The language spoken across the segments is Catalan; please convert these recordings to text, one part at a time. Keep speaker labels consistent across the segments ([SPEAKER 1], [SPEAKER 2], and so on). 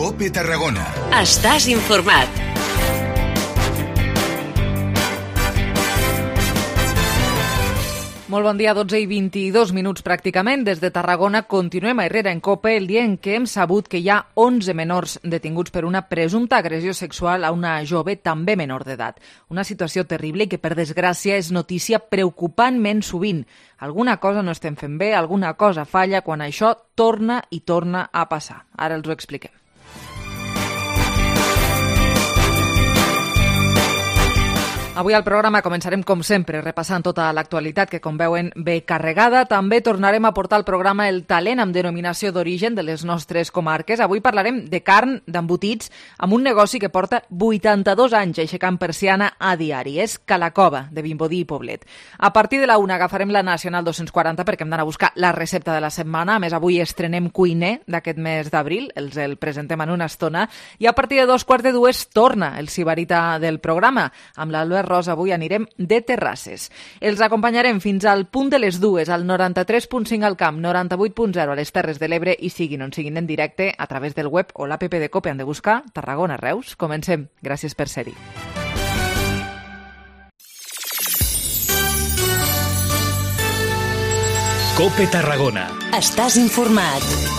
[SPEAKER 1] COPE Tarragona.
[SPEAKER 2] Estàs informat.
[SPEAKER 3] Molt bon dia, 12:22 pràcticament. Des de Tarragona continuem a Herrera en COPE el dia en què hem sabut que hi ha 11 menors detinguts per una presumpta agressió sexual a una jove també menor d'edat. Una situació terrible i que, per desgràcia, és notícia preocupantment sovint. Alguna cosa no estem fent bé, alguna cosa falla quan això torna i torna a passar. Ara els ho expliquem. Avui al programa començarem, com sempre, repassant tota l'actualitat que, com veuen, ve carregada. També tornarem a portar al programa el talent amb denominació d'origen de les nostres comarques. Avui parlarem de carn, d'embotits, amb un negoci que porta 82 anys aixecant persiana a diari. És Calacova, de Vimbodí i Poblet. A partir de la 1 agafarem la Nacional 240 perquè hem d'anar a buscar la recepta de la setmana. A més, avui estrenem cuiner d'aquest mes d'abril. Els el presentem en una estona. I a partir de 2:15 torna el sibarita del programa. Amb l'Albert Rosa avui anirem de terrasses. Els acompanyarem fins al punt de les 2 al 93.5 al Camp, 98.0 a les Terres de l'Ebre i siguin on siguin en directe a través del web o l'app de COPE han de buscar Tarragona Reus. Comencem. Gràcies per ser-hi.
[SPEAKER 4] COPE Tarragona.
[SPEAKER 2] Estàs informat.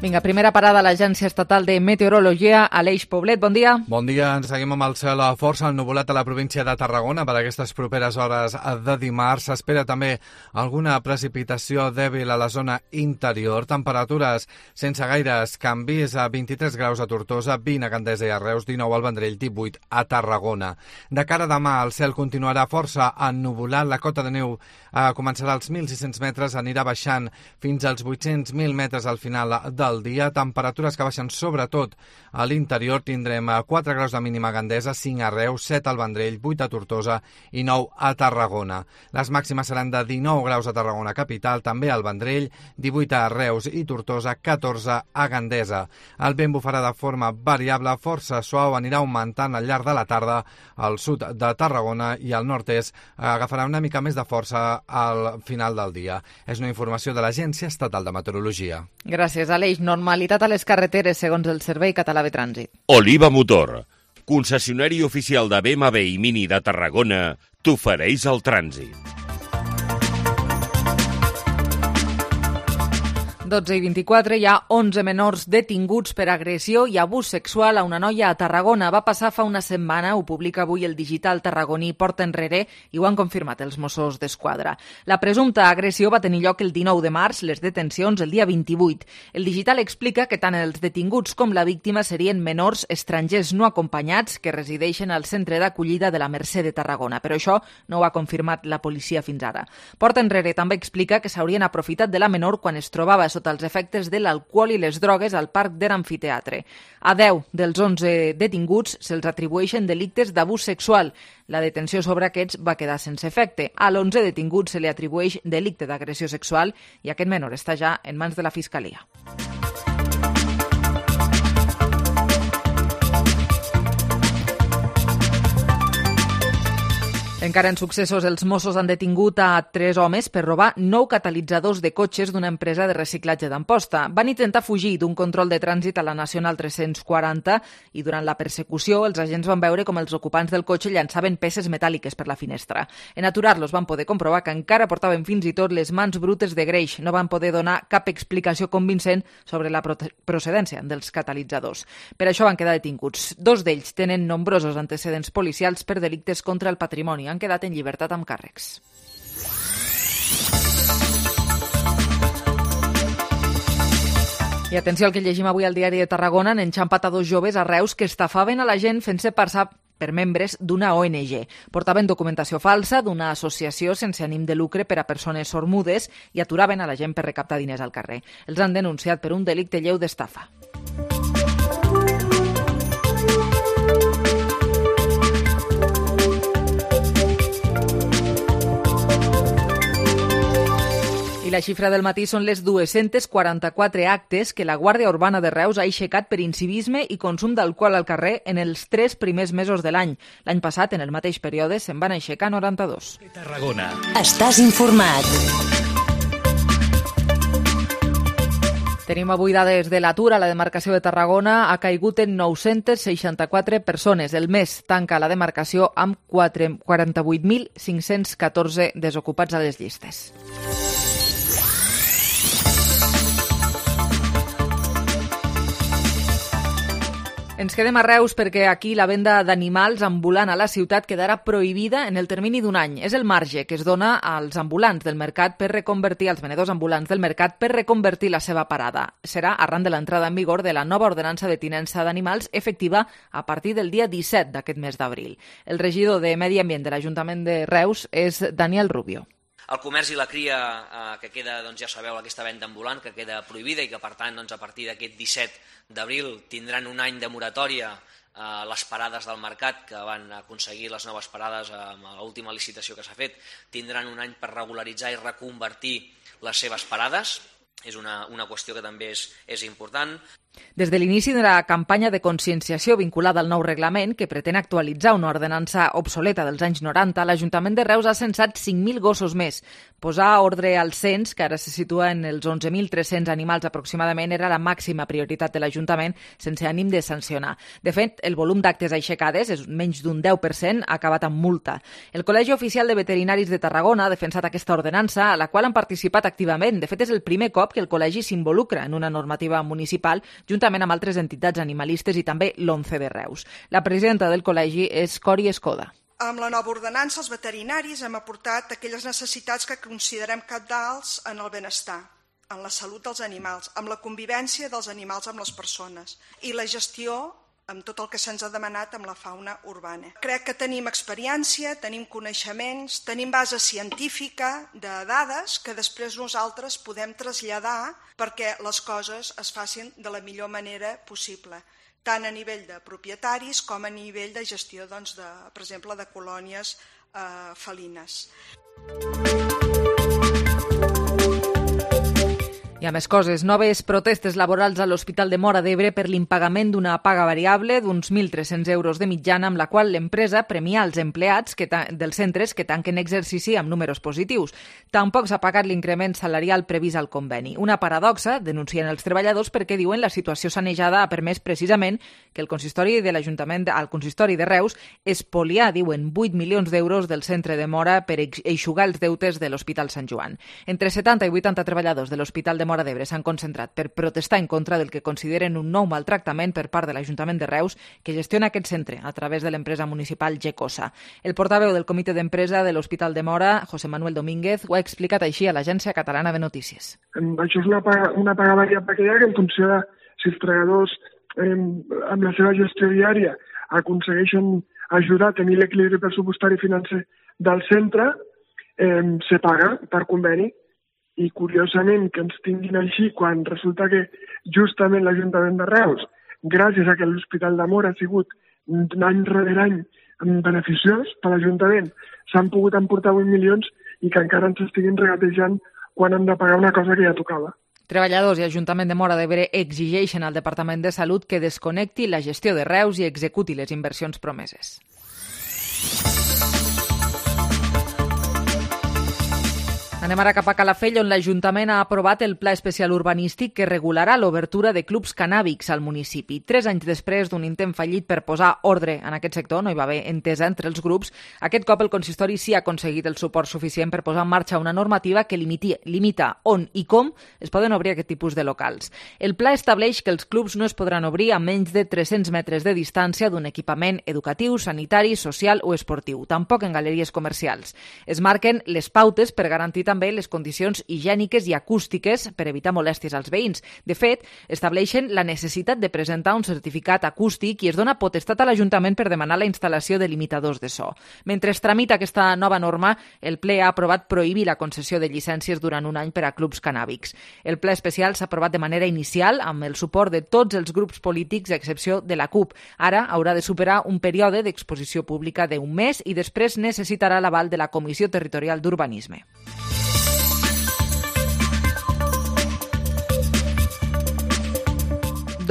[SPEAKER 3] Vinga, primera parada a l'Agència Estatal de Meteorologia, Aleix Poblet, bon dia.
[SPEAKER 5] Bon dia, ens seguim amb el cel força ennuvolat a la província de Tarragona per aquestes properes hores de dimarts. S'espera també alguna precipitació dèbil a la zona interior, temperatures sense gaires canvis, a 23 graus a Tortosa, 20 a Gandesa i a Reus, 19 al Vendrell, 18 a Tarragona. De cara a demà, el cel continuarà força ennuvolat, la cota de neu començarà als 1.600 metres, anirà baixant fins als 800.000 metres al final del dia, temperatures que baixen sobretot a l'interior. Tindrem 4 graus de mínima a Gandesa, 5 a Reus, 7 al Vendrell, 8 a Tortosa i 9 a Tarragona. Les màximes seran de 19 graus a Tarragona capital, també al Vendrell, 18 a Reus i Tortosa, 14 a Gandesa. El vent bufarà de forma variable, força suau, anirà augmentant al llarg de la tarda al sud de Tarragona i al nord-est agafarà una mica més de força al final del dia. És una informació de l'Agència Estatal de Meteorologia.
[SPEAKER 3] Gràcies, Aleix. Normalitat a les carreteres, segons el Servei Català de Trànsit.
[SPEAKER 6] Oliva Motor, concessionari oficial de BMW i Mini de Tarragona, t'ofereix el trànsit.
[SPEAKER 3] 12:24, hi ha 11 menors detinguts per agressió i abús sexual a una noia a Tarragona. Va passar fa una setmana, ho publica avui el digital tarragoní Porta Enrere i ho han confirmat els Mossos d'Esquadra. La presumpta agressió va tenir lloc el 19 de març, les detencions el dia 28. El digital explica que tant els detinguts com la víctima serien menors estrangers no acompanyats que resideixen al centre d'acollida de la Mercè de Tarragona, però això no ho ha confirmat la policia fins ara. Porta Enrere també explica que s'haurien aprofitat de la menor quan es trobava sota els efectes de l'alcohol i les drogues al parc de l'amfiteatre. A 10 dels 11 detinguts se'ls atribueixen delictes d'abús sexual. La detenció sobre aquests va quedar sense efecte. A l'11 detingut se li atribueix delicte d'agressió sexual i aquest menor està ja en mans de la Fiscalia. Encara en successos, els Mossos han detingut a 3 homes per robar 9 catalitzadors de cotxes d'una empresa de reciclatge d'Amposta. Van intentar fugir d'un control de trànsit a la Nacional 340 i durant la persecució els agents van veure com els ocupants del cotxe llançaven peces metàl·liques per la finestra. En aturar-los van poder comprovar que encara portaven fins i tot les mans brutes de greix. No van poder donar cap explicació convincent sobre la procedència dels catalitzadors. Per això van quedar detinguts. 2 d'ells tenen nombrosos antecedents policials per delictes contra el patrimoni. Han quedat en llibertat amb càrrecs. I atenció al que llegim avui al diari de Tarragona. Han enxampat a 2 joves a Reus que estafaven a la gent fent-se passar per membres d'una ONG. Portaven documentació falsa d'una associació sense ànim de lucre per a persones sormudes i aturaven a la gent per recaptar diners al carrer. Els han denunciat per un delicte lleu d'estafa. I la xifra del matí són les 244 actes que la Guàrdia Urbana de Reus ha aixecat per incivisme i consum d'alcohol al carrer en els 3 primers mesos de l'any. L'any passat, en el mateix període, se'n van aixecar 92.
[SPEAKER 4] Tarragona.
[SPEAKER 2] Estàs informat.
[SPEAKER 3] Tenim avui dades de l'atur. A la demarcació de Tarragona ha caigut en 964 persones. El mes tanca la demarcació amb 48.514 desocupats a les llistes. Ens quedem a Reus perquè aquí la venda d'animals ambulant a la ciutat quedarà prohibida en el termini d'un any. És el marge que es dona als ambulants del mercat per reconvertir, als venedors ambulants del mercat per reconvertir la seva parada. Serà arran de l'entrada en vigor de la nova ordenança de tinença d'animals efectiva a partir del dia 17 d'aquest mes d'abril. El regidor de Medi Ambient de l'Ajuntament de Reus és Daniel Rubio.
[SPEAKER 1] El comerç i la cria, que queda, ja sabeu, aquesta venda ambulant, que queda prohibida i que, per tant, a partir d'aquest 17 d'abril tindran un any de moratòria les parades del mercat, que van aconseguir les noves parades amb l'última licitació que s'ha fet, tindran un any per regularitzar i reconvertir les seves parades. És una qüestió que també és important.
[SPEAKER 3] Des de l'inici de la campanya de conscienciació vinculada al nou reglament, que pretén actualitzar una ordenança obsoleta dels anys 90, l'Ajuntament de Reus ha censat 5.000 gossos més. Posar ordre al cens, que ara se situa en els 11.300 animals aproximadament, era la màxima prioritat de l'Ajuntament, sense ànim de sancionar. De fet, el volum d'actes aixecades, és menys d'un 10%, ha acabat amb multa. El Col·legi Oficial de Veterinaris de Tarragona ha defensat aquesta ordenança, a la qual han participat activament. De fet, és el primer cop que el col·legi s'involucra en una normativa municipal, juntament amb altres entitats animalistes i també l'ONCE de Reus. La presidenta del col·legi és Cori Escoda.
[SPEAKER 7] Amb la nova ordenança, els veterinaris hem aportat aquelles necessitats que considerem cabdals en el benestar, en la salut dels animals, amb la convivència dels animals amb les persones i la gestió amb tot el que se'ns ha demanat amb la fauna urbana. Crec que tenim experiència, tenim coneixements, tenim base científica de dades que després nosaltres podem traslladar perquè les coses es facin de la millor manera possible, tant a nivell de propietaris com a nivell de gestió, per exemple, de colònies felines.
[SPEAKER 3] Hi ha més coses. Noves protestes laborals a l'Hospital de Móra d'Ebre per l'impagament d'una paga variable d'uns 1.300 euros de mitjana, amb la qual l'empresa premia els empleats dels centres que tanquen exercici amb números positius. Tampoc s'ha pagat l'increment salarial previst al conveni. Una paradoxa, denuncien els treballadors, perquè diuen la situació sanejada ha permès precisament que el consistori de l'Ajuntament, al consistori de Reus, espoliar, diuen, 8 milions d'euros del centre de Móra per eixugar els deutes de l'Hospital Sant Joan. Entre 70 i 80 treballadors de l'Hospital de Móra d'Ebre s'han concentrat per protestar en contra del que consideren un nou maltractament per part de l'Ajuntament de Reus, que gestiona aquest centre a través de l'empresa municipal Gecosa. El portaveu del comitè d'empresa de l'Hospital de Móra, José Manuel Domínguez, ho ha explicat així a l'Agència Catalana de Notícies.
[SPEAKER 8] Això és una paga variable que hi ha, que en funció de si els treballadors amb la seva gestió diària aconsegueixen ajudar a tenir l'equilibri pressupostari financer del centre, se paga per conveni. I curiosament que ens tinguin així quan resulta que justament l'Ajuntament de Reus, gràcies a que l'Hospital de Móra ha sigut any rere any beneficiós per l'Ajuntament, s'han pogut emportar 8 milions i que encara ens estiguin regatejant quan han de pagar una cosa que ja tocava.
[SPEAKER 3] Treballadors i Ajuntament de Móra d'Ebre exigeixen al Departament de Salut que desconnecti la gestió de Reus i executi les inversions promeses. Anem ara cap a Calafell, on l'Ajuntament ha aprovat el Pla Especial Urbanístic que regularà l'obertura de clubs cannàbics al municipi. 3 anys després d'un intent fallit per posar ordre en aquest sector, no hi va haver entesa entre els grups, aquest cop el consistori sí ha aconseguit el suport suficient per posar en marxa una normativa que limita on i com es poden obrir aquest tipus de locals. El pla estableix que els clubs no es podran obrir a menys de 300 metres de distància d'un equipament educatiu, sanitari, social o esportiu, tampoc en galeries comercials. Es marquen les pautes per garantir també les condicions higièniques i acústiques per evitar molèsties als veïns. De fet, estableixen la necessitat de presentar un certificat acústic i es dona potestat a l'Ajuntament per demanar la instal·lació de limitadors de so. Mentre es tramita aquesta nova norma, el ple ha aprovat prohibir la concessió de llicències durant un any per a clubs cannàbics. El ple especial s'ha aprovat de manera inicial amb el suport de tots els grups polítics, a excepció de la CUP. Ara haurà de superar un període d'exposició pública d'un mes i després necessitarà l'aval de la Comissió Territorial d'Urbanisme.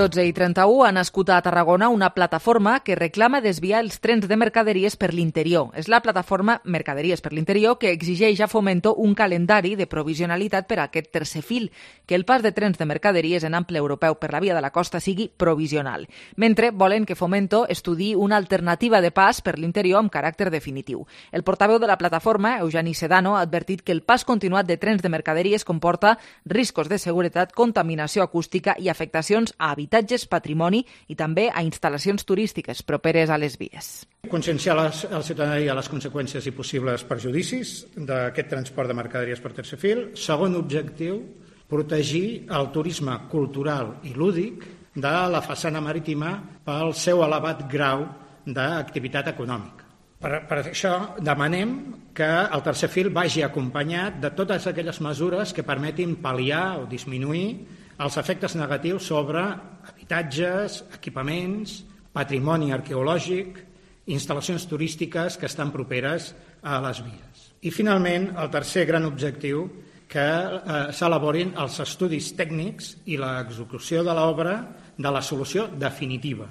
[SPEAKER 3] 12:31 ha nascut a Tarragona una plataforma que reclama desviar els trens de mercaderies per l'interior. És la plataforma Mercaderies per l'Interior que exigeix a Fomento un calendari de provisionalitat per a aquest tercer fil, que el pas de trens de mercaderies en ample europeu per la via de la costa sigui provisional, mentre volen que Fomento estudiï una alternativa de pas per l'interior amb caràcter definitiu. El portaveu de la plataforma, Eugeni Sedano, ha advertit que el pas continuat de trens de mercaderies comporta riscos de seguretat, contaminació acústica i afectacions a habitatges, patrimoni i també a instal·lacions turístiques properes a les vies.
[SPEAKER 9] Conscienciar la ciutadania de les conseqüències i possibles perjudicis d'aquest transport de mercaderies per tercer fil. Segon objectiu, protegir el turisme cultural i lúdic de la façana marítima pel seu elevat grau d'activitat econòmica. Per això demanem que el tercer fil vagi acompanyat de totes aquelles mesures que permetin pal·liar o disminuir els efectes negatius sobre habitatges, equipaments, patrimoni arqueològic, instal·lacions turístiques que estan properes a les vies. I finalment, el tercer gran objectiu, que s'elaborin els estudis tècnics i l'execució de l'obra de la solució definitiva.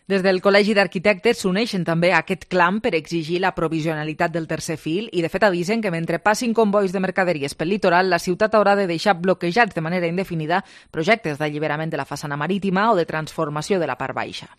[SPEAKER 3] Des del Col·legi d'Arquitectes s'uneixen també a aquest clam per exigir la provisionalitat del tercer fil i, de fet, avisen que mentre passin convois de mercaderies pel litoral, la ciutat haurà de deixar bloquejats de manera indefinida projectes d'alliberament de la façana marítima o de transformació de la part baixa.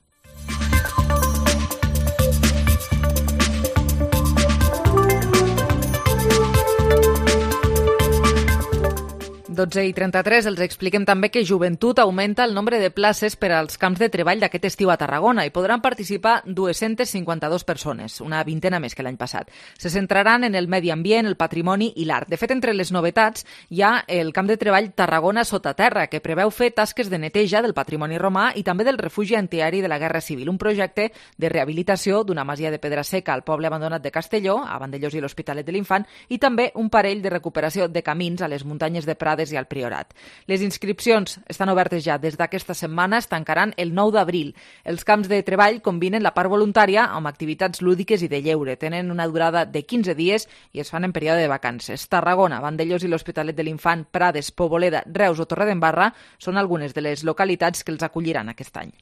[SPEAKER 3] (12:33) els expliquem també que Joventut augmenta el nombre de places per als camps de treball d'aquest estiu a Tarragona i podran participar 252 persones, una vintena més que l'any passat. Se centraran en el medi ambient, el patrimoni i l'art. De fet, entre les novetats hi ha el camp de treball Tarragona sota terra, que preveu fer tasques de neteja del patrimoni romà i també del refugi antiaeri de la Guerra Civil, un projecte de rehabilitació d'una masia de pedra seca al poble abandonat de Castelló, a Vandellós i l'Hospitalet de l'Infant, i també un parell de recuperació de camins a les muntanyes de Prades i al Priorat. Les inscripcions estan obertes ja des d'aquesta setmana, es tancaran el 9 d'abril. Els camps de treball combinen la part voluntària amb activitats lúdiques i de lleure. Tenen una durada de 15 dies i es fan en període de vacances. Tarragona, Vandellós i l'Hospitalet de l'Infant, Prades, Poboleda, Reus o Torredembarra són algunes de les localitats que els acolliran aquest any.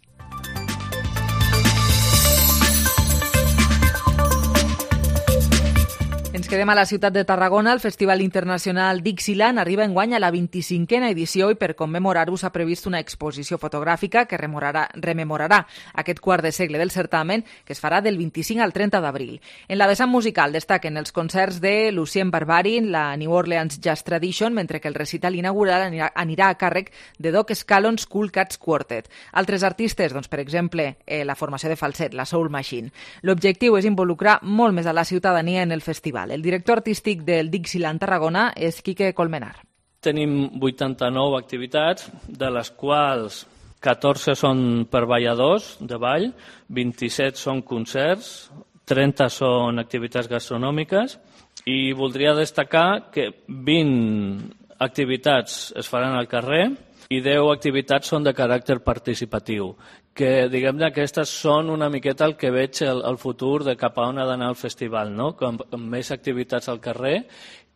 [SPEAKER 3] Ens quedem a la ciutat de Tarragona. El Festival Internacional Dixieland arriba enguany a la 25a edició i per commemorar-ho s'ha previst una exposició fotogràfica que rememorarà aquest quart de segle del certamen, que es farà del 25 al 30 d'abril. En la vessant musical destaquen els concerts de Lucien Barbarin, la New Orleans Jazz Tradition, mentre que el recital inaugural anirà a càrrec de Doc Scallon's Cool Cats Quartet. Altres artistes, doncs, per exemple, la formació de falset, la Soul Machine. L'objectiu és involucrar molt més a la ciutadania en el festival. El director artístic del Dixieland Tarragona és Quique Colmenar.
[SPEAKER 10] Tenim 89 activitats, de les quals 14 són per balladors de ball, 27 són concerts, 30 són activitats gastronòmiques i voldria destacar que 20 activitats es faran al carrer i 10 activitats són de caràcter participatiu, que diguem-ne aquestes són una miqueta el que veig el futur de cap a on ha d'anar el festival, no? Amb més activitats al carrer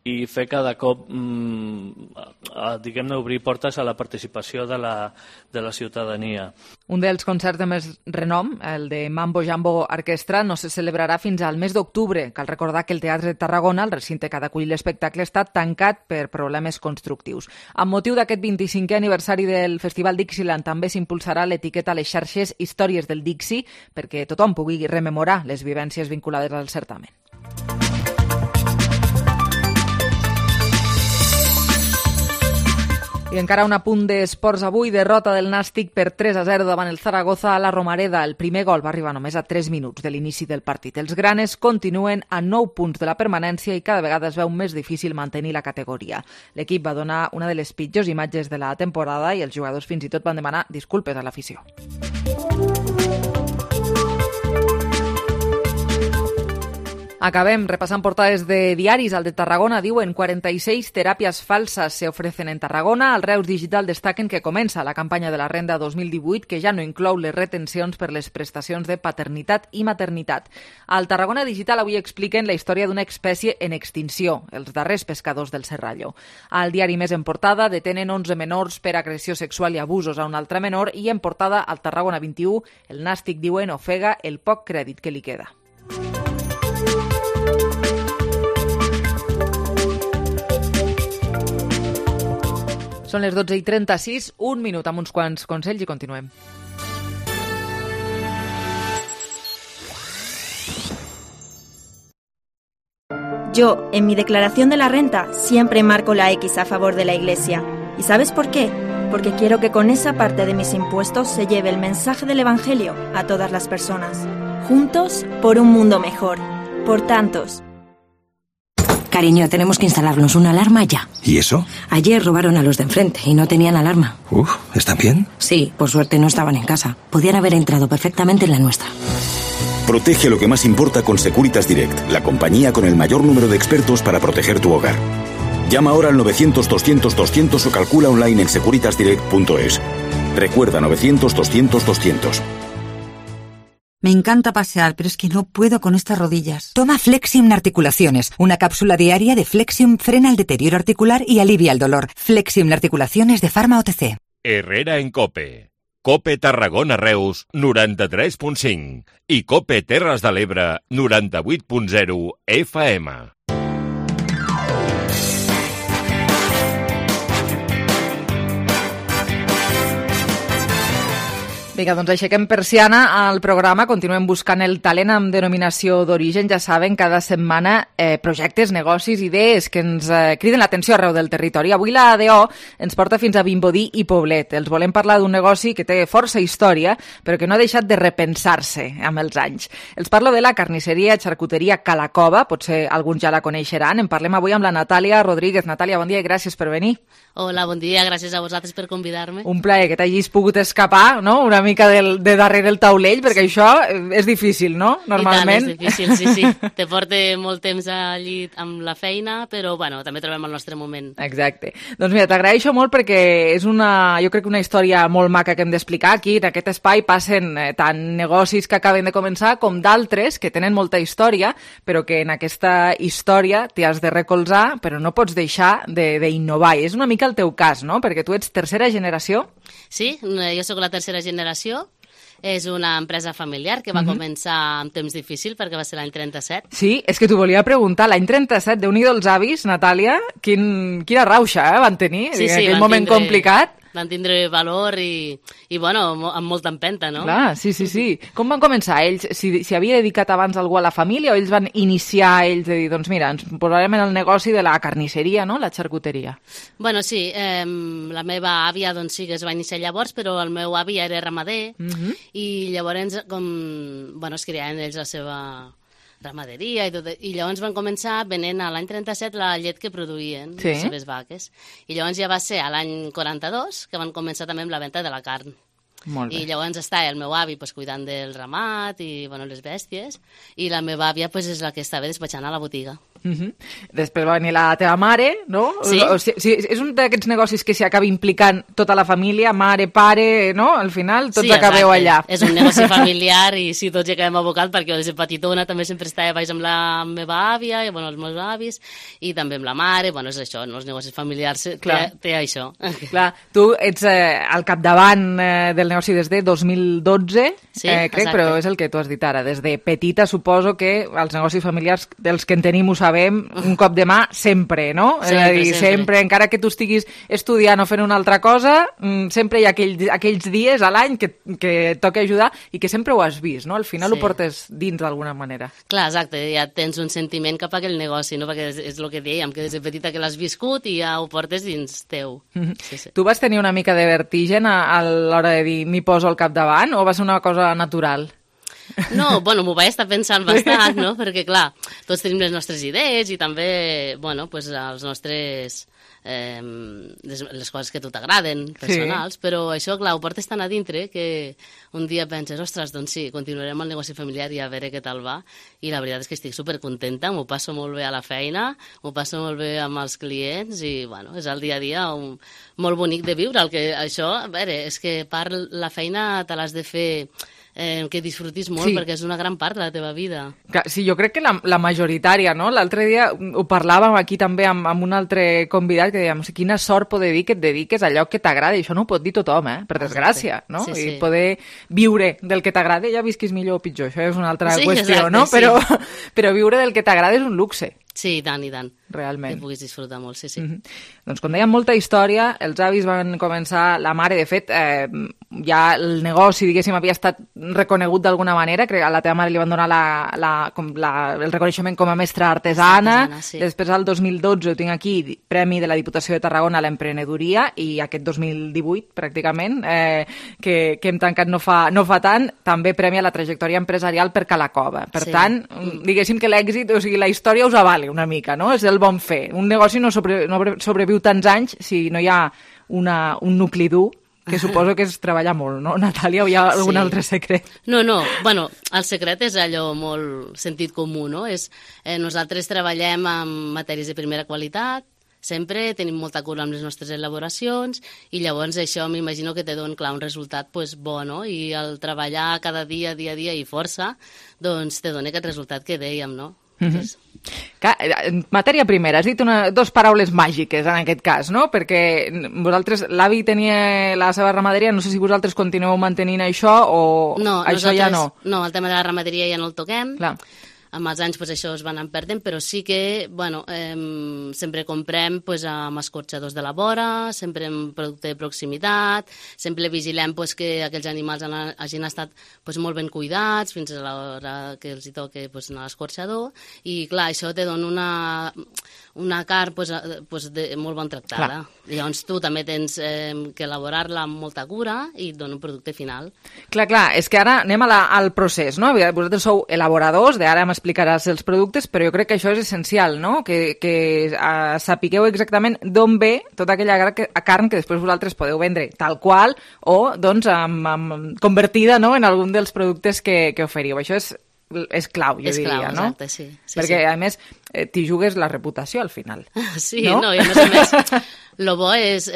[SPEAKER 10] i fer cada cop, diguem-ne, obrir portes a la participació de la ciutadania.
[SPEAKER 3] Un dels concerts de més renom, el de Mambo Jambo Orquestra, no se celebrarà fins al mes d'octubre. Cal recordar que el Teatre de Tarragona, el recinte que ha d'acollir l'espectacle, està tancat per problemes constructius. Amb motiu d'aquest 25è aniversari del Festival Dixieland també s'impulsarà l'etiqueta a les xarxes Històries del Dixie perquè tothom pugui rememorar les vivències vinculades al certamen. I encara un apunt d'esports avui, derrota del Nàstic per 3-0 davant el Zaragoza a la Romareda. El primer gol va arribar només a 3 minuts de l'inici del partit. Els granes continuen a 9 punts de la permanència i cada vegada es veu més difícil mantenir la categoria. L'equip va donar una de les pitjors imatges de la temporada i els jugadors fins i tot van demanar disculpes a l'afició. Acabem repassant portades de diaris. Al de Tarragona diuen 46 terapias falsas se ofrecen en Tarragona. Al Reus Digital destaquen que comença la campanya de la Renda 2018 que ja no inclou les retencions per les prestacions de paternitat i maternitat. Al Tarragona Digital avui expliquen la història d'una espècie en extinció, els darrers pescadors del Serrallo. Al diari Més en portada detenen 11 menors per agressió sexual i abusos a un altre menor i en portada al Tarragona 21 el Nàstic diuen ofega el poc crèdit que li queda. Són les 12:36, un minut amb uns quants consells i continuem.
[SPEAKER 11] Yo, en mi declaración de la renta, siempre marco la X a favor de la Iglesia. ¿Y sabes por qué? Porque quiero que con esa parte de mis impuestos se lleve el mensaje del Evangelio a todas las personas. Juntos por un mundo mejor. Por tantos.
[SPEAKER 2] Cariño, tenemos que instalarnos una alarma ya.
[SPEAKER 12] ¿Y eso?
[SPEAKER 2] Ayer robaron a los de enfrente y no tenían alarma.
[SPEAKER 12] ¿Están bien?
[SPEAKER 2] Sí, por suerte no estaban en casa. Podían haber entrado perfectamente en la nuestra.
[SPEAKER 12] Protege lo que más importa con Securitas Direct, la compañía con el mayor número de expertos para proteger tu hogar. Llama ahora al 900-200-200 o calcula online en securitasdirect.es. Recuerda 900-200-200.
[SPEAKER 13] Me encanta pasear, pero es que no puedo con estas rodillas. Toma Flexium Articulaciones. Una cápsula diaria de Flexium frena el deterioro articular y alivia el dolor. Flexium Articulaciones de Pharma OTC.
[SPEAKER 6] Herrera en COPE. COPE Tarragona Reus 93.5 i COPE Terres de l'Ebre 98.0 FM.
[SPEAKER 3] Vinga, doncs aixequem persiana al programa, continuem buscant el talent amb denominació d'origen. Ja saben, cada setmana projectes, negocis, idees que ens criden l'atenció arreu del territori. Avui la ADO ens porta fins a Vimbodí i Poblet. Els volem parlar d'un negoci que té força història, però que no ha deixat de repensar-se amb els anys. Els parlo de la carnisseria xarcuteria Calacova, potser alguns ja la coneixeran. En parlem avui amb la Natàlia Rodríguez. Natàlia, bon dia i gràcies per venir.
[SPEAKER 14] Hola, bon dia, gràcies a vosaltres per convidar-me.
[SPEAKER 3] Un plaer que t'hagis pogut escapar, no?, una mica de darrere el taulell, perquè això és difícil, no?, normalment.
[SPEAKER 14] I tant, és difícil, sí. Te porta molt temps allí amb la feina, però, bueno, també trobem el nostre moment.
[SPEAKER 3] Exacte. Doncs mira, t'agraeixo molt perquè és jo crec que una història molt maca que hem d'explicar. Aquí, en aquest espai, passen tant negocis que acaben de començar com d'altres que tenen molta història, però que en aquesta història t'hi has de recolzar, però no pots deixar d'innovar. I és una mica el teu cas, no?, perquè tu ets tercera generació.
[SPEAKER 14] Sí, jo sóc la tercera generació. És una empresa familiar que va començar amb temps difícil perquè va ser l'any 37.
[SPEAKER 3] Sí, és que t'ho volia preguntar. L'any 37, Déu-n'hi-do els avis, Natàlia, quina rauxa van tenir en aquell moment complicat.
[SPEAKER 14] Van tindre valor i bueno, amb molta empenta, no?
[SPEAKER 3] Clar, sí. Com van començar ells? Si havia dedicat abans algú a la família o ells van iniciar ells de dir, doncs mira, ens posarem en el negoci de la carnisseria, no?, la xarcuteria.
[SPEAKER 14] Bueno, sí, la meva àvia doncs sí que es va iniciar llavors, però el meu avi era ramader i llavors es criaven ells la seva ramaderia i tot, i llavors van començar venent a l'any 37 la llet que produïen les seves vaques. I llavors ja va ser a l'any 42 que van començar també amb la venda de la carn.
[SPEAKER 3] Molt bé.
[SPEAKER 14] I llavors està el meu avi cuidant del ramat i les bèsties, i la meva àvia és la que estava despatxant a la botiga.
[SPEAKER 3] Després va venir la teva mare, no?
[SPEAKER 14] Sí.
[SPEAKER 3] És un d'aquests negocis que s'hi acaba implicant tota la família, mare, pare, no? Al final tots acabeu allà.
[SPEAKER 14] És un negoci familiar i sí, tots hi acabem abocat perquè des de petitona també sempre estava baix amb la meva àvia i els meus avis i també amb la mare, és això, els negocis familiars té això.
[SPEAKER 3] Clar, tu ets al capdavant del negoci des de 2012, crec, però és el que tu has dit ara. Des de petita suposo que els negocis familiars dels que en tenim ho sabem, un cop de mà sempre, no? És a dir, sempre, encara que tu estiguis estudiant o fent una altra cosa, sempre hi ha aquells dies a l'any que toca ajudar i que sempre ho has vist, no? Al final ho portes dins d'alguna manera.
[SPEAKER 14] Clar, exacte, ja tens un sentiment cap a aquell negoci, no? Perquè és el que dèiem, que des de petita que l'has viscut i ja ho portes dins teu.
[SPEAKER 3] Tu vas tenir una mica de vertigen a l'hora de dir m'hi poso al capdavant o va ser una cosa natural?
[SPEAKER 14] No, bueno, m'ho vaig estar pensant bastant, no? Perquè, clar, tots tenim les nostres idees i també, bueno, pues, els nostres... les coses que a tu t'agraden, personals, però això, clar, ho portes tan a dintre que un dia penses, ostres, doncs sí, continuarem el negoci familiar i a veure què tal va, i la veritat és que estic supercontenta, m'ho passo molt bé a la feina, m'ho passo molt bé amb els clients i, bueno, és el dia a dia molt bonic de viure, el que això, a veure, és que la feina te l'has de fer que disfrutis molt, perquè és una gran part de la teva vida.
[SPEAKER 3] Sí, jo crec que la majoritària, no? L'altre dia ho parlàvem aquí també amb un altre convidat que dèiem, quina sort poder dir que et dediques a allò que t'agrada, i això no ho pot dir tothom, per desgràcia, no?
[SPEAKER 14] Sí, sí.
[SPEAKER 3] I poder viure del que t'agrada, ja visquis millor o pitjor, això és una altra qüestió,
[SPEAKER 14] exacte,
[SPEAKER 3] no?
[SPEAKER 14] sí.
[SPEAKER 3] Però viure del que t'agrada és un luxe.
[SPEAKER 14] Sí, i tant, i tant.
[SPEAKER 3] Realment.
[SPEAKER 14] Que puguis disfrutar molt, sí, sí.
[SPEAKER 3] Doncs com dèiem, molta història, els avis van començar, la mare, de fet, ja el negoci, diguéssim, havia estat reconegut d'alguna manera, crec que a la teva mare li van donar el reconeixement com a mestra artesana, sí. Després al 2012 ho tinc aquí, Premi de la Diputació de Tarragona a l'emprenedoria, i aquest 2018, pràcticament, que hem tancat no fa tant, també Premi a la trajectòria empresarial per Calacova. Per tant, diguéssim que l'èxit, o sigui, la història us avala una mica, no? És el bon fer. Un negoci no sobreviu tants anys si no hi ha un nucli dur, que suposo que és treballar molt, no, Natàlia? O hi ha algun altre secret?
[SPEAKER 14] No, bueno, el secret és allò molt sentit comú, no? Nosaltres treballem amb matèries de primera qualitat, sempre tenim molta cura amb les nostres elaboracions i llavors això m'imagino que te dona, clar, un resultat bo, no? I el treballar cada dia i força, doncs te dona aquest resultat que dèiem, no?
[SPEAKER 3] Matèria primera, has dit dos paraules màgiques en aquest cas, no? Perquè vosaltres, l'avi tenia la seva ramaderia, no sé si vosaltres continueu mantenint això o això ja no.
[SPEAKER 14] No, el tema de la ramaderia ja no el toquem.
[SPEAKER 3] Clar.
[SPEAKER 14] Amb els anys això es va anar perdent, però sí que sempre comprem amb escorxadors de la vora, sempre amb producte de proximitat, sempre vigilem que aquells animals hagin estat molt ben cuidats fins a l'hora que els hi toqui anar a l'escorxador, i clar, això te dona una carn molt ben tractada. Llavors tu també tens que elaborar-la amb molta cura i et dona un producte final.
[SPEAKER 3] Clar, és que ara anem al procés, no? Vosaltres sou elaboradors, d'ara m'explicaràs els productes, però jo crec que això és essencial, no? Que sapigueu exactament d'on ve tota aquella carn que després vosaltres podeu vendre tal qual o, doncs, convertida en algun dels productes que oferiu. Això és clau, jo diria, no?
[SPEAKER 14] Exacte, sí.
[SPEAKER 3] Perquè, a més, t'hi jugues la reputació al final.
[SPEAKER 14] Sí, no? I a més, el bo és,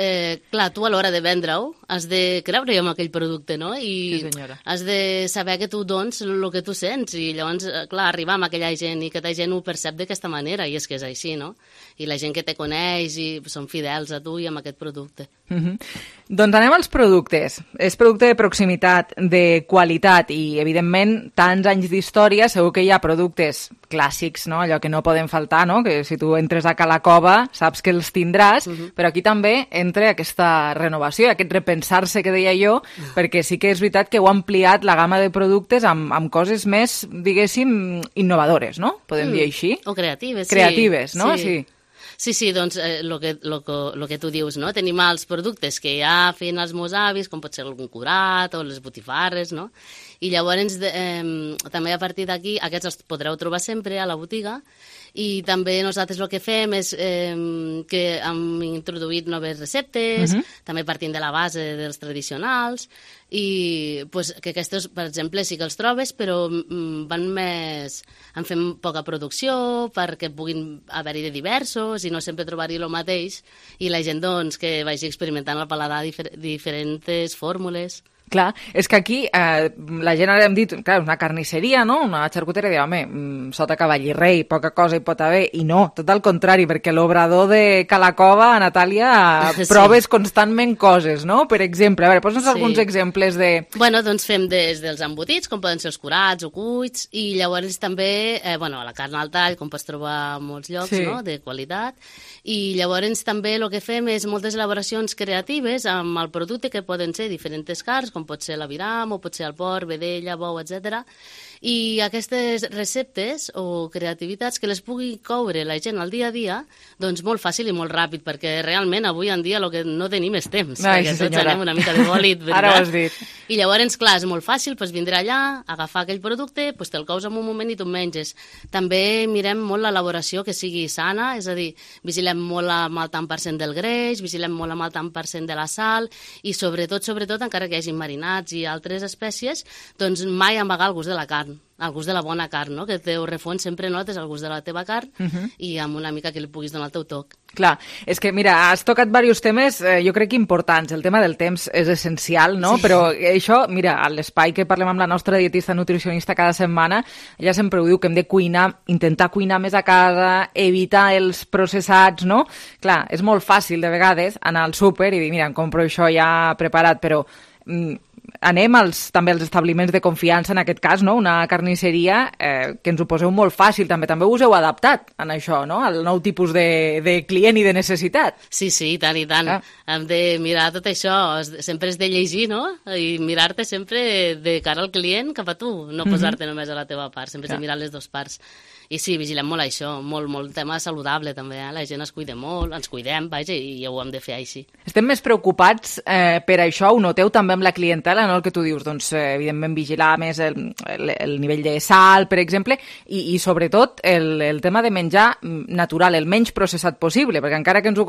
[SPEAKER 14] clar, tu a l'hora de vendre-ho has de creure en aquell producte, no? I has de saber que tu dones el que tu sents i llavors, clar, arribar amb aquella gent i que aquella gent ho percep d'aquesta manera, i és que és així, no? I la gent que te coneix i són fidels a tu i amb aquest producte.
[SPEAKER 3] Doncs anem als productes. És producte de proximitat, de qualitat i, evidentment, tants anys d'història, segur que hi ha productes clàssics, no? Allò que no poden faltar, no? Que si tu entres a Calacova saps que els tindràs, però aquí també entra aquesta renovació, aquest repensar-se que deia jo, perquè sí que és veritat que heu ampliat la gamma de productes amb coses més, diguéssim, innovadores, no? Podem dir així?
[SPEAKER 14] O creatives, sí.
[SPEAKER 3] Creatives, no? Sí.
[SPEAKER 14] Sí, doncs el que tu dius, no? Tenim els productes que ja feien els meus avis, com pot ser algun curat o les botifarres, no? I llavors també a partir d'aquí aquests els podreu trobar sempre a la botiga, i també nosaltres el que fem és que hem introduït noves receptes, també partint de la base dels tradicionals, i que aquests, per exemple, sí que els trobes, però en fem poca producció perquè puguin haver-hi de diversos i no sempre trobar-hi el mateix, i la gent doncs, que vagi experimentant al paladar diferents fórmules.
[SPEAKER 3] Clar, és que aquí la gent ara hem dit, clar, una carnisseria, no? Una xarcuteria, diu, home, sota cavall i rei, poca cosa hi pot haver, i no, tot al contrari, perquè l'obrador de Calacova, Natàlia, proves constantment coses, no? Per exemple, a veure, posa'ns alguns exemples de...
[SPEAKER 14] Bueno, doncs fem des dels embotits, com poden ser els curats o cuits, i llavors també, la carn al tall, com pots trobar a molts llocs, no? De qualitat, i llavors també el que fem és moltes elaboracions creatives amb el producte, que poden ser diferents carns, com com pot ser l'aviram, o pot ser el porc, vedella, bou, etc. I aquestes receptes o creativitats que les pugui coure la gent al dia a dia, doncs molt fàcil i molt ràpid, perquè realment avui en dia el que no tenim és temps, perquè tots anem una mica de bòlit, veritat?
[SPEAKER 3] Ara ho has dit.
[SPEAKER 14] I llavors, clar, és molt fàcil vindre allà, agafar aquell producte, te'l cous en un moment i tu menges. També mirem molt l'elaboració que sigui sana, és a dir, vigilem molt amb el tant % del greix, vigilem molt amb el tant % de la sal, i sobretot, encara que hi hagi marinats i altres espècies, doncs mai amagar el gust de la carn, el gust de la bona carn, no? Que el teu refons sempre notes el gust de la teva carn i amb una mica que li puguis donar el teu toc.
[SPEAKER 3] Clar, és que mira, has tocat diversos temes, jo crec que importants. El tema del temps és essencial, no? Sí. Però això, mira, a l'espai que parlem amb la nostra dietista nutricionista cada setmana, ella sempre ho diu, que hem de cuinar, intentar cuinar més a casa, evitar els processats, no? Clar, és molt fàcil de vegades anar al súper i dir, mira, em compro això ja preparat, però anem també als establiments de confiança, en aquest cas, no? Una carnisseria, que ens ho poseu molt fàcil, també us heu adaptat en això, no? Al nou tipus de client i de necessitat.
[SPEAKER 14] Sí, i tant, i tant. Hem de mirar tot això, sempre és de llegir, no? I mirar-te sempre de cara al client cap a tu, no posar-te només a la teva part, sempre és de mirar les dues parts. I sí, vigilem molt això, molt tema saludable també, la gent es cuida molt, ens cuidem, vaja, i ho hem de fer així.
[SPEAKER 3] Estem més preocupats per això, ho noteu també amb la clientela, no? El que tu dius, doncs, evidentment, vigilar més el nivell de sal, per exemple, i sobretot el tema de menjar natural, el menys processat possible, perquè encara que tu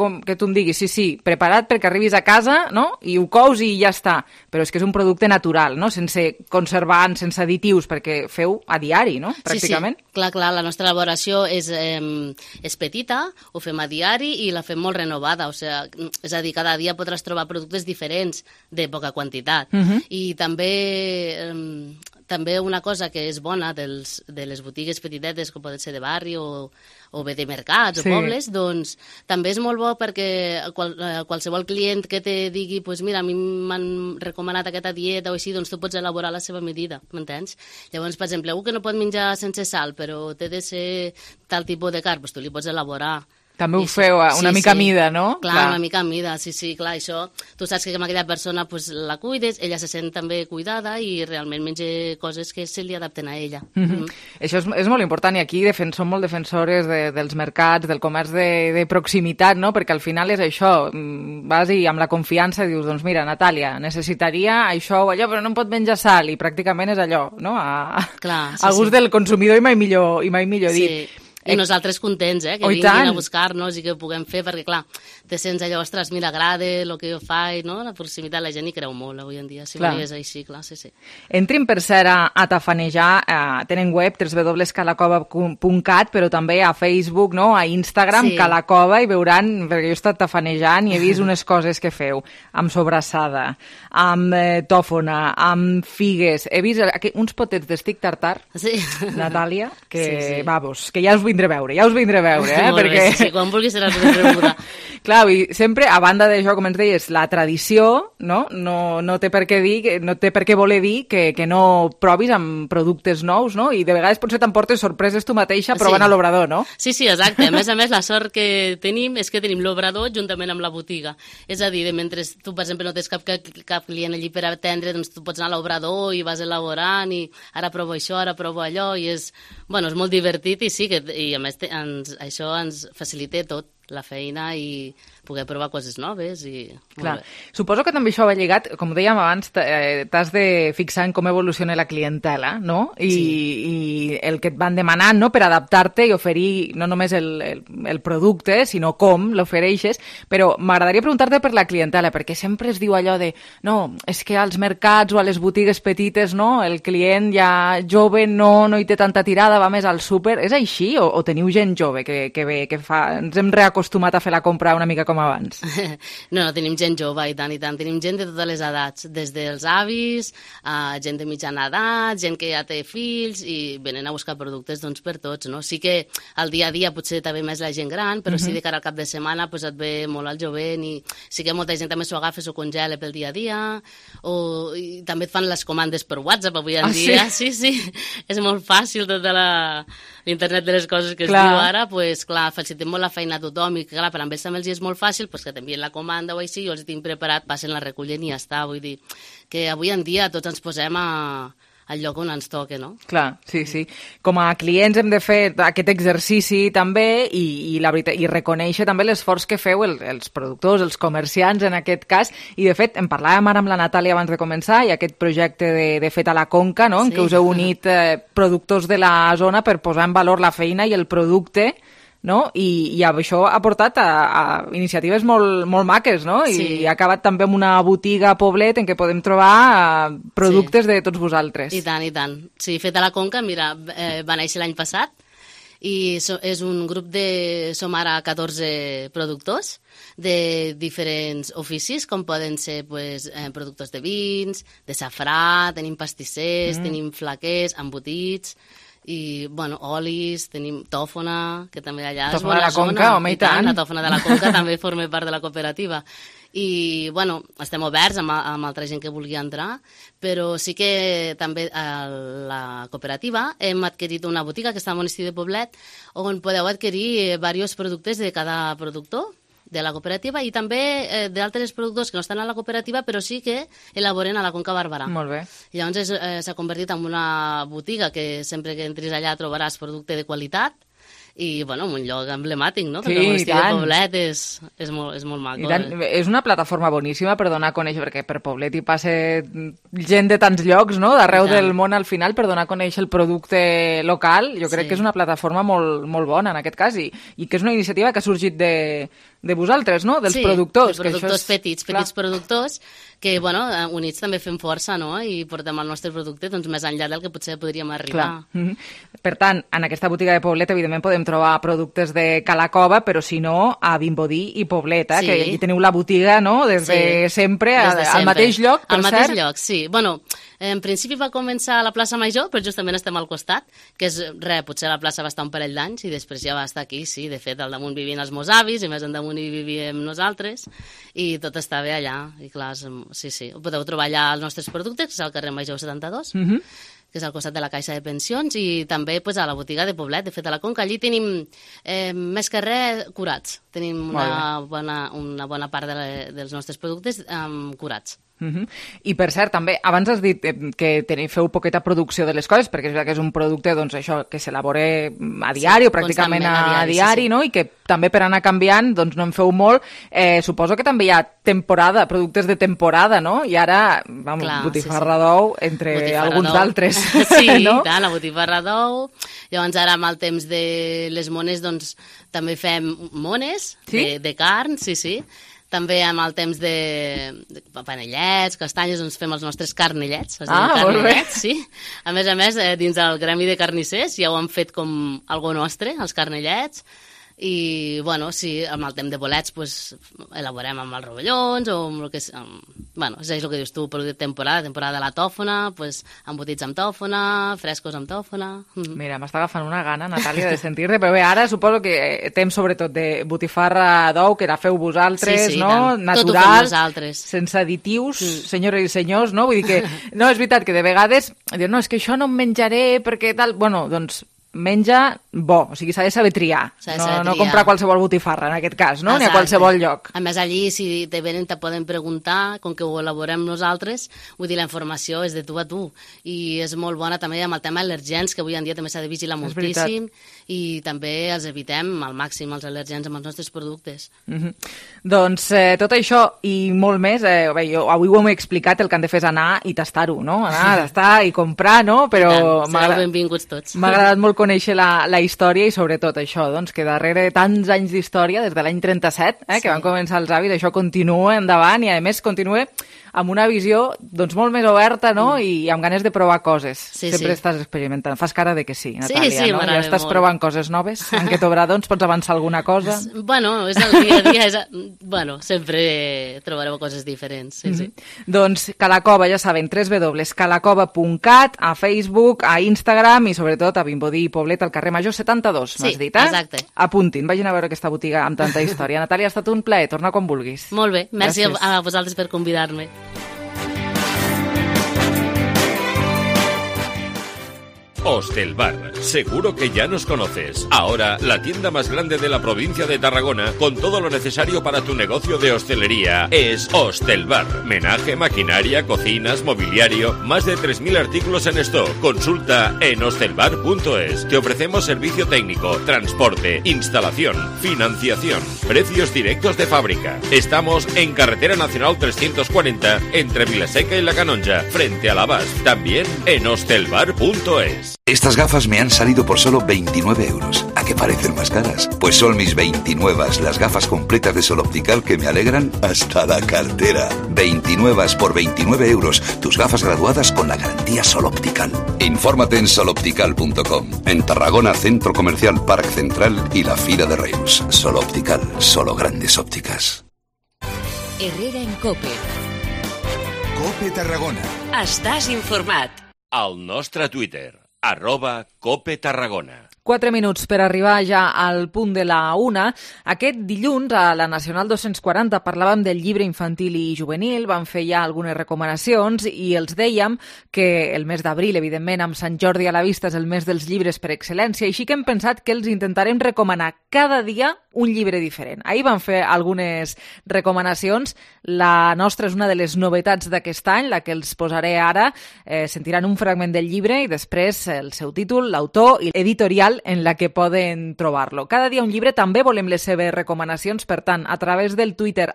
[SPEAKER 3] em diguis, sí, preparat perquè arribis a casa, no? I ho cous i ja està, però és que és un producte natural, no? Sense conservants, sense additius, perquè feu a diari, no? Pràcticament.
[SPEAKER 14] Sí, clar, la nostra elaboració és petita, ho fem a diari i la fem molt renovada, és a dir, cada dia podràs trobar productes diferents de poca quantitat. I també una cosa que és bona de les botigues petitetes, com poden ser de barri o bé de mercats o pobles, doncs també és molt bo perquè qualsevol client que te digui mira, a mi m'han recomanat aquesta dieta o així, doncs tu pots elaborar la seva medida, m'entens? Llavors, per exemple, algú que no pot menjar sense sal, però té de ser tal tipus de carn, doncs tu li pots elaborar.
[SPEAKER 3] També ho feu una mica a mida, no?
[SPEAKER 14] Clar, una mica a mida, sí, clar, això, tu saps que amb aquella persona la cuides, ella se sent també cuidada i realment menja coses que se li adapten a ella.
[SPEAKER 3] Això és molt important i aquí som molt defensores dels mercats, del comerç de proximitat, no? Perquè al final és això, vas i amb la confiança dius, doncs mira, Natàlia, necessitaria això o allò, però no em pot menjar sal, i pràcticament és allò, no? A gust del consumidor i mai millor dit.
[SPEAKER 14] I nosaltres contents, que vinguin a buscar-nos i que ho puguem fer, perquè, clar, te sents allò, ostres, mira, agrada el que jo faig, no? La proximitat, la gent hi creu molt avui en dia, si no és així, clar, sí.
[SPEAKER 3] Entrin, per cert, a tafanejar, tenen web, www.calacova.cat, però també a Facebook, no? A Instagram, Calacova, i veuran, perquè jo he estat tafanejant i he vist unes coses que feu, amb sobrassada, amb tòfona, amb figues, he vist uns potets d'estic tartar, Natàlia, que, vamos, que ja us vindré a veure,
[SPEAKER 14] perquè... Sí, quan vulguis seràs ben rebuda.
[SPEAKER 3] Clar, i sempre, a banda d'això, com ens deies, la tradició, no té per què voler dir que no provis amb productes nous, no? I de vegades potser t'emportes sorpreses tu mateixa provant a l'obrador, no?
[SPEAKER 14] Sí, exacte. A més, la sort que tenim és que tenim l'obrador juntament amb la botiga. És a dir, mentre tu, per exemple, no tens cap client allí per atendre, doncs tu pots anar a l'obrador i vas elaborant i ara provo això, ara provo allò, i és molt divertit i sí, i a més això ens facilita tot, la feina i poder provar coses noves.
[SPEAKER 3] Clar. Suposo que també això va lligat, com dèiem abans, t'has de fixar en com evoluciona la clientela, no? I el que et van demanant, no?, per adaptar-te i oferir no només el producte, sinó com l'ofereixes, però m'agradaria preguntar-te per la clientela, perquè sempre es diu allò de no, és que als mercats o a les botigues petites, no, el client ja jove no hi té tanta tirada, va més al súper. És així? O teniu gent jove que ve, que ens hem reacostumat a fer la compra una mica com abans?
[SPEAKER 14] No, tenim gent jove, i tant. Tenim gent de totes les edats, des dels avis, gent de mitjana edat, gent que ja té fills, i venen a buscar productes per tots, no? Sí que al dia a dia potser també més la gent gran, però sí de cara al cap de setmana et ve molt el jovent, i sí que molta gent també s'ho agafa, s'ho congela pel dia a dia, i també et fan les comandes per WhatsApp avui en dia. Sí, és molt fàcil tota l'internet de les coses que es diu ara, pues, clar, facilitem molt la feina a tothom i, clar, per a ells també els és molt fàcil pues, que t'envien la comanda o així, jo els tinc preparat, passen la recullen i ja està. Vull dir que avui en dia tots ens posem al lloc on ens toca, no?
[SPEAKER 3] Clar, sí. Com a clients hem de fer aquest exercici també i la veritat, i reconèixer també l'esforç que feu els productors, els comerciants en aquest cas, i de fet en parlàvem ara amb la Natàlia abans de començar, i aquest projecte de Fet a la Conca, no? En què us heu unit productors de la zona per posar en valor la feina i el producte, no? I això ha portat a iniciatives molt maques, no? I ha acabat també amb una botiga a Poblet en què podem trobar productes de tots vosaltres.
[SPEAKER 14] I tant. Sí, Fet a la Conca, mira, va néixer l'any passat i és un grup som ara 14 productors de diferents oficis, com poden ser pues, productors de vins, de safrà, tenim pastissers, tenim flaquers, embotits, i, bueno, olis, tenim tòfona, que també allà és bona zona.
[SPEAKER 3] Tòfona de la Conca, home, i tant.
[SPEAKER 14] La tòfona de la Conca també forma part de la cooperativa. I, bueno, estem oberts amb altra gent que vulgui entrar, però sí que també a la cooperativa hem adquirit una botiga que està al Monestir de Poblet, on podeu adquirir diversos productes de cada productor de la cooperativa i també d'altres productors que no estan a la cooperativa però sí que elaboren a la Conca Barberà.
[SPEAKER 3] Molt bé.
[SPEAKER 14] Llavors s'ha convertit en una botiga que sempre que entris allà trobaràs producte de qualitat i, bueno, un lloc emblemàtic, no? Perquè el Monestir de Poblet és molt maco.
[SPEAKER 3] És una plataforma boníssima per donar a conèixer, perquè per Poblet hi passa gent de tants llocs, no?, d'arreu del món al final, per donar a conèixer el producte local. Jo crec que és una plataforma molt bona en aquest cas i que és una iniciativa que ha sorgit de vosaltres, no?, dels productors.
[SPEAKER 14] Sí, dels productors petits productors que, bueno, units també fem força, no?, i portem el nostre producte doncs, més enllà del que potser podríem arribar.
[SPEAKER 3] Per tant, en aquesta botiga de Poblet, evidentment, podem trobar productes de Cala Cova, però si no, a Vimbodí i Poblet, que aquí teniu la botiga, no?, des de sempre, al mateix lloc, per cert.
[SPEAKER 14] Al mateix lloc, sí. Bueno, en principi va començar a la plaça Major, però justament estem al costat, que és, potser la plaça va estar un parell d'anys i després ja va estar aquí, sí. De fet, al damunt vivien els meus avis i més endamunt hi vivíem nosaltres i tot està bé allà. I clar, sí. Podeu trobar allà els nostres productes, que és al carrer Major 72, que és al costat de la Caixa de Pensions, i també pues, a la botiga de Poblet, de Fet a la Conca. Allí tenim més que res curats. Tenim una bona part dels nostres productes curats.
[SPEAKER 3] I per cert, també, abans has dit que feu poqueta producció de les coses, perquè és veritat que és un producte doncs, això que s'elabora a diari o pràcticament a diari, no? I que també per anar canviant doncs, no en feu molt. Suposo que també hi ha temporada, productes de temporada, no? I ara, botifarra d'ou, entre alguns d'altres.
[SPEAKER 14] Sí, no? Tant, la botifarra d'ou. Llavors ara amb el temps de les mones doncs, també fem mones de carn, sí. També amb el temps de panellets, castanyes, doncs fem els nostres carnellets.
[SPEAKER 3] Molt bé.
[SPEAKER 14] Sí. A més, dins del gremi de carnissers ja ho han fet com algo nostre, els carnellets. I, bueno, sí, amb el temps de bolets pues, elaborem amb els rovellons o amb el que és... Bueno, és el que dius tu, producte de temporada de la tòfona, pues, embotits amb tòfona, frescos amb tòfona...
[SPEAKER 3] Mira, m'està agafant una gana, Natàlia, de sentir-te, però bé, ara suposo que temps sobretot de botifarra d'ou, que la feu vosaltres, no?
[SPEAKER 14] Tant.
[SPEAKER 3] Natural,
[SPEAKER 14] sense
[SPEAKER 3] additius, senyores i senyors, no? Vull dir que, no, és veritat que de vegades dius, no, és que això no em menjaré perquè tal... Bueno, doncs menja bo, o sigui, s'ha de saber triar, no comprar qualsevol botifarra en aquest cas, no? Ni a qualsevol lloc.
[SPEAKER 14] A més, allí, si te venen, te poden preguntar, com que ho elaborem nosaltres, vull dir, la informació és de tu a tu, i és molt bona també amb el tema al·lergens, que avui en dia també s'ha de vigilar moltíssim, i també els evitem al màxim, els al·lergens amb els nostres productes.
[SPEAKER 3] Doncs tot això i molt més, jo avui ho hem explicat, el que han de fer és anar i tastar-ho, no? Anar a tastar i comprar, no? Però
[SPEAKER 14] sereu benvinguts tots.
[SPEAKER 3] M'ha agradat molt conèixer la història i sobretot això, doncs, que darrere tants anys d'història, des de l'any 37, que van començar els avis, això continua endavant i a més continua amb una visió doncs, molt més oberta, no? I amb ganes de provar coses. Sempre estàs experimentant. Fas cara de que sí, Natàlia, no? Ja estàs provant coses noves? En aquest obrador ens pots avançar alguna cosa?
[SPEAKER 14] Bueno, és el dia a dia. Bueno, sempre trobareu coses diferents.
[SPEAKER 3] Doncs Cala Cova, ja saben, www.calacova.cat, a Facebook, a Instagram i sobretot a Vimbodí i Poblet, al carrer Major 72, m'has dit,
[SPEAKER 14] exacte.
[SPEAKER 3] Apuntin, vagin a veure aquesta botiga amb tanta història. Natàlia, ha estat un plaer, torna quan vulguis.
[SPEAKER 14] Molt bé, merci a vosaltres per convidar-me.
[SPEAKER 6] Hostelbar. Seguro que ya nos conoces. Ahora, la tienda más grande de la provincia de Tarragona, con todo lo necesario para tu negocio de hostelería, es Hostelbar. Menaje, maquinaria, cocinas, mobiliario, más de 3.000 artículos en stock. Consulta en hostelbar.es. Te ofrecemos servicio técnico, transporte, instalación, financiación, precios directos de fábrica. Estamos en Carretera Nacional 340, entre Vilaseca y La Canonja, frente a la BASF. También en hostelbar.es.
[SPEAKER 15] Estas gafas me han salido por solo 29 euros. ¿A qué parecen más caras? Pues son mis 29, las gafas completas de Sol Optical que me alegran hasta la cartera. 29 por 29 euros. Tus gafas graduadas con la garantía Sol Optical. Infórmate en soloptical.com. En Tarragona, Centro Comercial Parc Central y la Fira de Reus. Sol Optical, solo grandes ópticas.
[SPEAKER 16] Herrera en COPE.
[SPEAKER 17] COPE Tarragona.
[SPEAKER 16] Estàs informat.
[SPEAKER 6] Al nostre Twitter, @COPE Tarragona.
[SPEAKER 3] 4 minuts per arribar ja al punt de la 1. Aquest dilluns, a la Nacional 240, parlàvem del llibre infantil i juvenil, vam fer ja algunes recomanacions i els dèiem que el mes d'abril, evidentment, amb Sant Jordi a la vista, és el mes dels llibres per excel·lència, així que hem pensat que els intentarem recomanar cada dia un llibre diferent. Ahir vam fer algunes recomanacions. La nostra és una de les novetats d'aquest any, la que els posaré ara. Sentiran un fragment del llibre i després el seu títol, l'autor i editorial en la que poden trobar-lo. Cada dia un llibre, també volem les seves recomanacions, per tant, a través del Twitter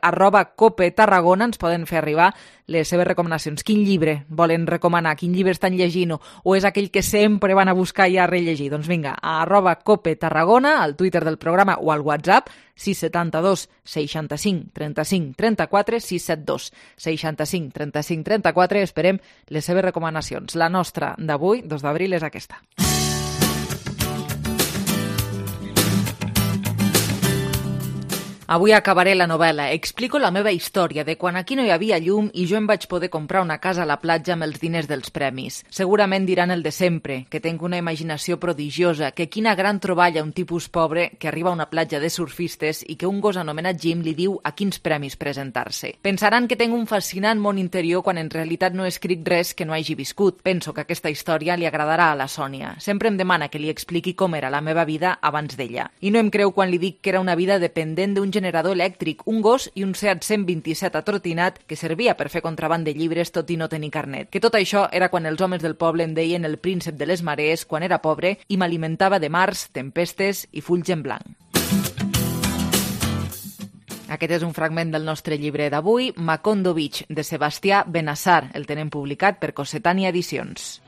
[SPEAKER 3] @COPE Tarragona ens poden fer arribar les seves recomanacions. Quin llibre volen recomanar? Quin llibre estan llegint? O és aquell que sempre van a buscar i a rellegir? Doncs vinga, a @COPE Tarragona, al Twitter del programa o al WhatsApp, 672 65 35 34, 672 65 35 34. Esperem les seves recomanacions. La nostra d'avui, 2 d'abril, és aquesta. Avui acabaré la novel·la. Explico la meva història de quan aquí no hi havia llum i jo em vaig poder comprar una casa a la platja amb els diners dels premis. Segurament diran el de sempre, que tenc una imaginació prodigiosa, que quina gran troballa un tipus pobre que arriba a una platja de surfistes i que un gos anomenat Jim li diu a quins premis presentar-se. Pensaran que tenc un fascinant món interior quan en realitat no he escrit res que no hagi viscut. Penso que aquesta història li agradarà a la Sònia. Sempre em demana que li expliqui com era la meva vida abans d'ella. I no em creu quan li dic que era una vida dependent d'un generador elèctric, un gos i un Seat 127 atrotinat que servia per fer contraban de llibres tot i no tenir carnet. Que tot això era quan els homes del poble em deien el príncep de les marees quan era pobre i m'alimentava de mars, tempestes i fulls en blanc. Aquest és un fragment del nostre llibre d'avui, Macondo Beach, de Sebastià Benassar. El tenen publicat per Cossetània Edicions.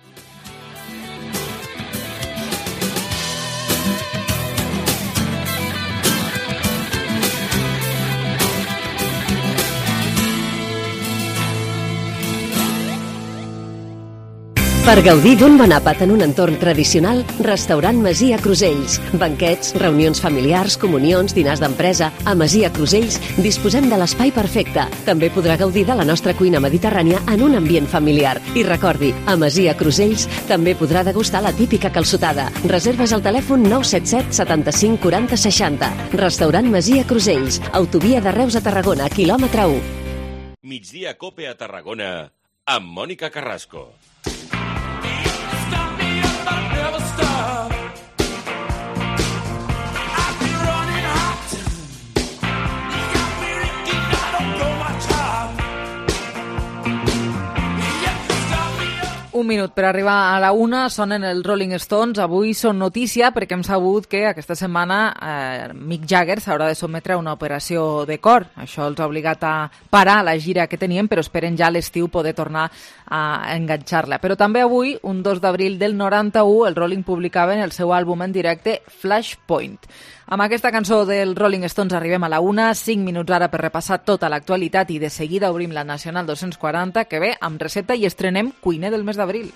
[SPEAKER 16] Per gaudir d'un bon àpat en un entorn tradicional, Restaurant Masia Crusells. Banquets, reunions familiars, comunions, dinars d'empresa. A Masia Crusells disposem de l'espai perfecte. També podrà gaudir de la nostra cuina mediterrània en un ambient familiar. I recordi, a Masia Crusells també podrà degustar la típica calçotada. Reserves al telèfon 977 75 40 60. Restaurant Masia Crusells. Autovia de Reus a Tarragona, quilòmetre 1.
[SPEAKER 6] Migdia COPE a Tarragona, amb Mònica Carrasco.
[SPEAKER 3] Un minut per arribar a la 1, sonen els Rolling Stones. Avui són notícia perquè hem sabut que aquesta setmana Mick Jagger s'haurà de sotmetre a una operació de cor. Això els ha obligat a parar la gira que tenien, però esperen ja a l'estiu poder tornar a enganxar-la. Però també avui, un 2 d'abril del 91, el Rolling publicaven el seu àlbum en directe Flashpoint. Amb aquesta cançó dels Rolling Stones arribem a la 1, 5 minuts ara per repassar tota l'actualitat i de seguida obrim la Nacional 240, que ve amb recepta i estrenem cuiner del mes d'abril.